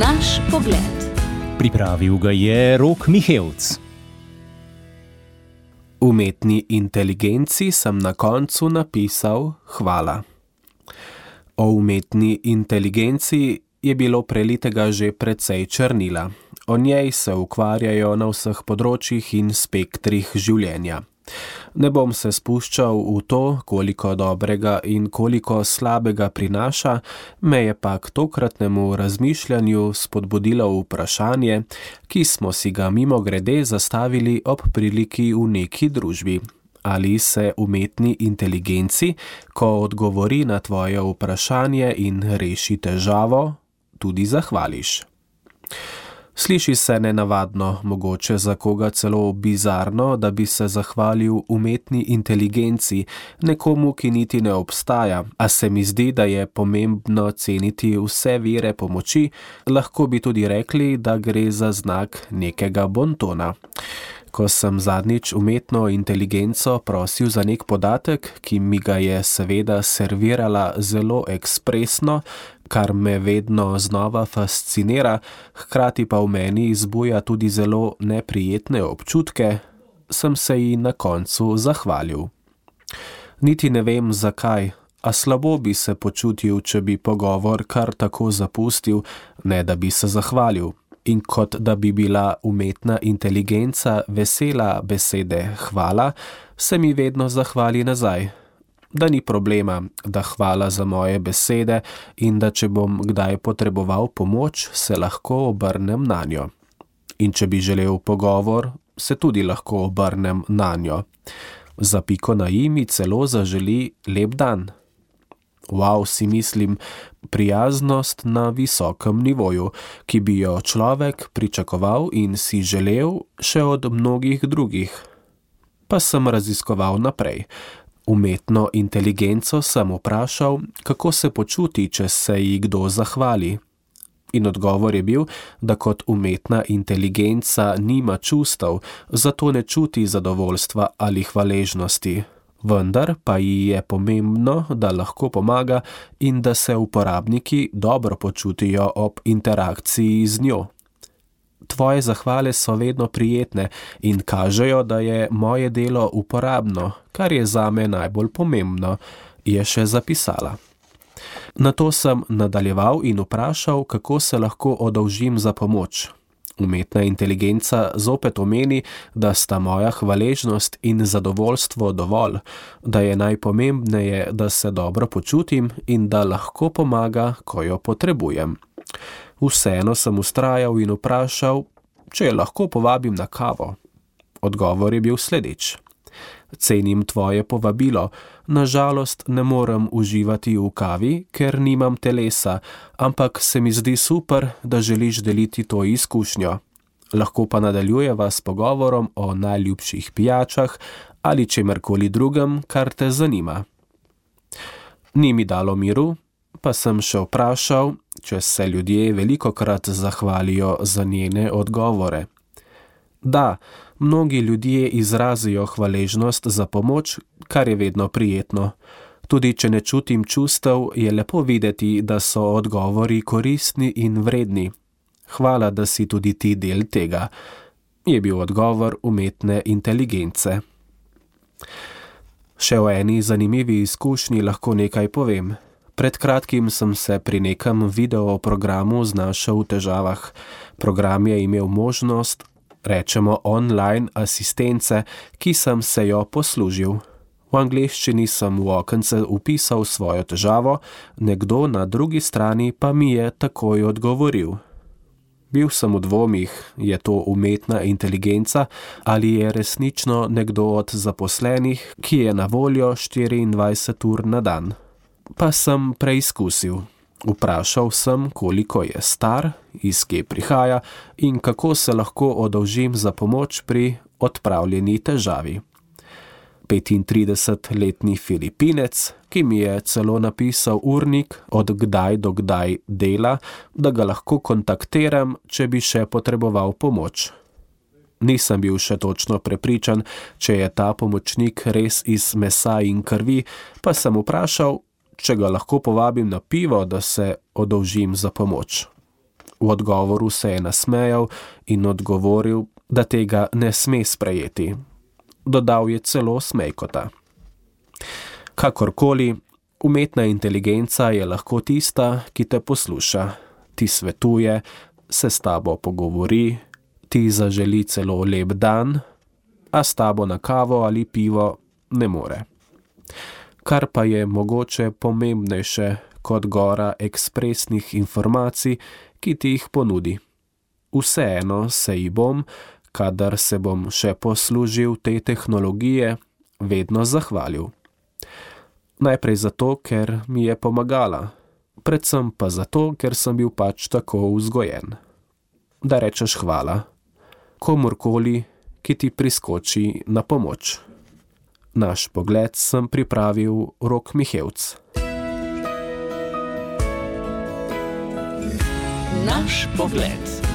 Naš pogled. Pripravil ga je Rok Mihevc. Umetni inteligenci sem na koncu napisal hvala. O umetni inteligenci je bilo prelitega že precej črnila. O njej se ukvarjajo na vseh področjih in spektrih življenja. Ne bom se spuščal v to, koliko dobrega in koliko slabega prinaša, me je pa k tokratnemu razmišljanju spodbudilo vprašanje, ki smo si ga mimogrede zastavili ob priliki v neki družbi. Ali se umetni inteligenci, ko odgovori na tvoje vprašanje in reši težavo, tudi zahvališ? Sliši se nenavadno, mogoče za koga celo bizarno, da bi se zahvalil umetni inteligenci, nekomu, ki niti ne obstaja, a se mi zdi, da je pomembno ceniti vse vire pomoči, lahko bi tudi rekli, da gre za znak nekega bontona. Ko sem zadnjič umetno inteligenco prosil za nek podatek, ki mi ga je seveda servirala zelo ekspresno, kar me vedno znova fascinira, hkrati pa v meni izbuja tudi zelo neprijetne občutke, sem se ji na koncu zahvalil. Niti ne vem zakaj, a slabo bi se počutil, če bi pogovor kar tako zapustil, ne da bi se zahvalil. In kot da bi bila umetna inteligenca vesela besede hvala, se mi vedno zahvali nazaj. Da ni problema, da hvala za moje besede in da če bom kdaj potreboval pomoč, se lahko obrnem nanjo. In če bi želel pogovor, se tudi lahko obrnem nanjo. Za piko na i mi celo zaželi lep dan. Wow, si mislim, prijaznost na visokem nivoju, ki bi jo človek pričakoval in si želel še od mnogih drugih. Pa sem raziskoval naprej. Umetno inteligenco sem vprašal, kako se počuti, če se ji kdo zahvali. In odgovor je bil, da kot umetna inteligenca nima čustev, zato ne čuti zadovoljstva ali hvaležnosti. Vendar pa ji je pomembno, da lahko pomaga in da se uporabniki dobro počutijo ob interakciji z njo. Tvoje zahvale so vedno prijetne in kažejo, da je moje delo uporabno, kar je zame najbolj pomembno, je še zapisala. Nato sem nadaljeval in vprašal, kako se lahko oddolžim za pomoč. Umetna inteligenca zopet omeni, da sta moja hvaležnost in zadovoljstvo dovolj, da je najpomembneje, da se dobro počutim in da lahko pomaga, ko jo potrebujem. Vseeno sem vztrajal in vprašal, če jo lahko povabim na kavo. Odgovor je bil sledeč. Cenim tvoje povabilo, na žalost ne morem uživati v kavi, ker nimam telesa, ampak se mi zdi super, da želiš deliti to izkušnjo. Lahko pa nadaljujeva s pogovorom o najljubših pijačah ali čemerkoli drugem, kar te zanima. Ni mi dalo miru, pa sem še vprašal, če se ljudje velikokrat zahvalijo za njene odgovore. Da, mnogi ljudje izrazijo hvaležnost za pomoč, kar je vedno prijetno. Tudi če ne čutim čustev, je lepo videti, da so odgovori koristni in vredni. Hvala, da si tudi ti del tega, je bil odgovor umetne inteligence. Še o eni zanimivi izkušnji lahko nekaj povem. Pred kratkim sem se pri nekem videoprogramu znašel v težavah. Program je imel možnost, rečemo online asistence, ki sem se jo poslužil. V angleščini sem v okence vpisal svojo težavo, nekdo na drugi strani pa mi je takoj odgovoril. Bil sem v dvomih, je to umetna inteligenca ali je resnično nekdo od zaposlenih, ki je na voljo 24 ur na dan. Pa sem preizkusil. Vprašal sem, koliko je star, iz kje prihaja in kako se lahko oddolžim za pomoč pri odpravljeni težavi. 35-letni Filipinec, ki mi je celo napisal urnik, od kdaj do kdaj dela, da ga lahko kontaktiram, če bi še potreboval pomoč. Nisem bil še točno prepričan, če je ta pomočnik res iz mesa in krvi, pa sem vprašal, če ga lahko povabim na pivo, da se oddolžim za pomoč. V odgovoru se je nasmejal in odgovoril, da tega ne sme sprejeti. Dodal je celo smejkota. Kakorkoli, umetna inteligenca je lahko tista, ki te posluša, ti svetuje, se s tabo pogovori, ti zaželi celo lep dan, a s tabo na kavo ali pivo ne more. Kar pa je mogoče pomembnejše kot gora ekspresnih informacij, ki ti jih ponudi. Vseeno se ji bom, kadar se bom še poslužil te tehnologije, vedno zahvalil. Najprej zato, ker mi je pomagala, predvsem pa zato, ker sem bil pač tako vzgojen. Da rečeš hvala komurkoli, ki ti priskoči na pomoč. Naš pogled sem pripravil Rok Mihevc. Naš pogled.